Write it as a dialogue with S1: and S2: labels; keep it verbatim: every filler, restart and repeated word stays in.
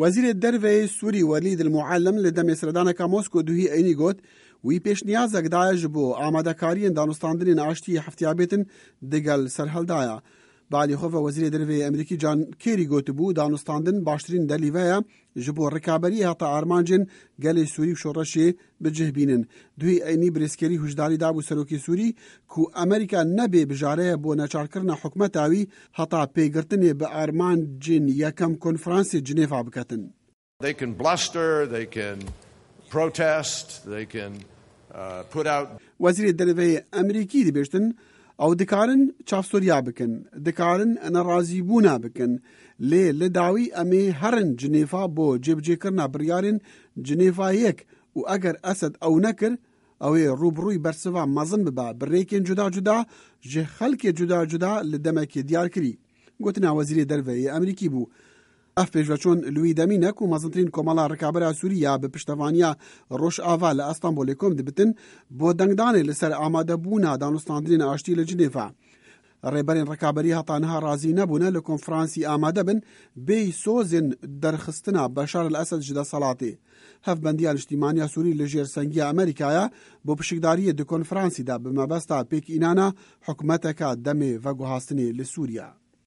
S1: وەزیرê Derveyê Sûrî Welîd El-Muellem li demê seredaneka Mosko duhî Eynî got, wî pêşniyazek daye ji bo amadekariyên danûstandinên aştiyê heftiya bêtin digel serhildaya. Bi alî xwe ve Wezîrê Derveyê Amerîkî John Kerry gotibû danûstandin baştirîn delîve ye ji bo rikaberiyê heta armancên gelê Sûrî û şoreşê bi cih bînin. Duhî Eynî birêz Kerry huşdarî dabû serokê Sûrî ku Amerîka nebê bijareye bo neçarkirina hikûmeta wî heta pêgirtinê bi armancên yekem konferansê Cinêva biketin.
S2: They can bluster, they can protest, they can uh, put out
S1: Wezîrê Derveyê Amerîkî dibêjtin ew dikarin çavsoriya bikin, dikarin nerazîbûna bikin, lê li dawî em ê herin Cinêva bo cêbicêkirina biryarên Cinêva yek û eger Esed ew nekir, ew ê rûbirûyî bersiva mezin bibe bi rêkên cuda cuda ji xelkê cuda cuda li demekê diyarkirî. Gotina Wezîrê Derveyê Amerîkî bû. Ev pêşveçûn li wî demî ne ku mezintirîn komela rikabera Sûrî ya bi piştevaniya Rojava li Istanbulê kom dibitin bo dengdanê li ser amadebûna danûstandinên aştî li Cinêva. Rêberên rikaberî heta niha razî nebûne li konferansî amade bin bêyî sozên derxistina Beşar el-Esed ji desthilatê. Hevbendiya Niştîmaniya Sûrî li jêr sengiya Amerîkaya bo pişikdariyê di konferansî de bi mebesta pêkînana hikûmeteka demê veguhastinê li Sûriya.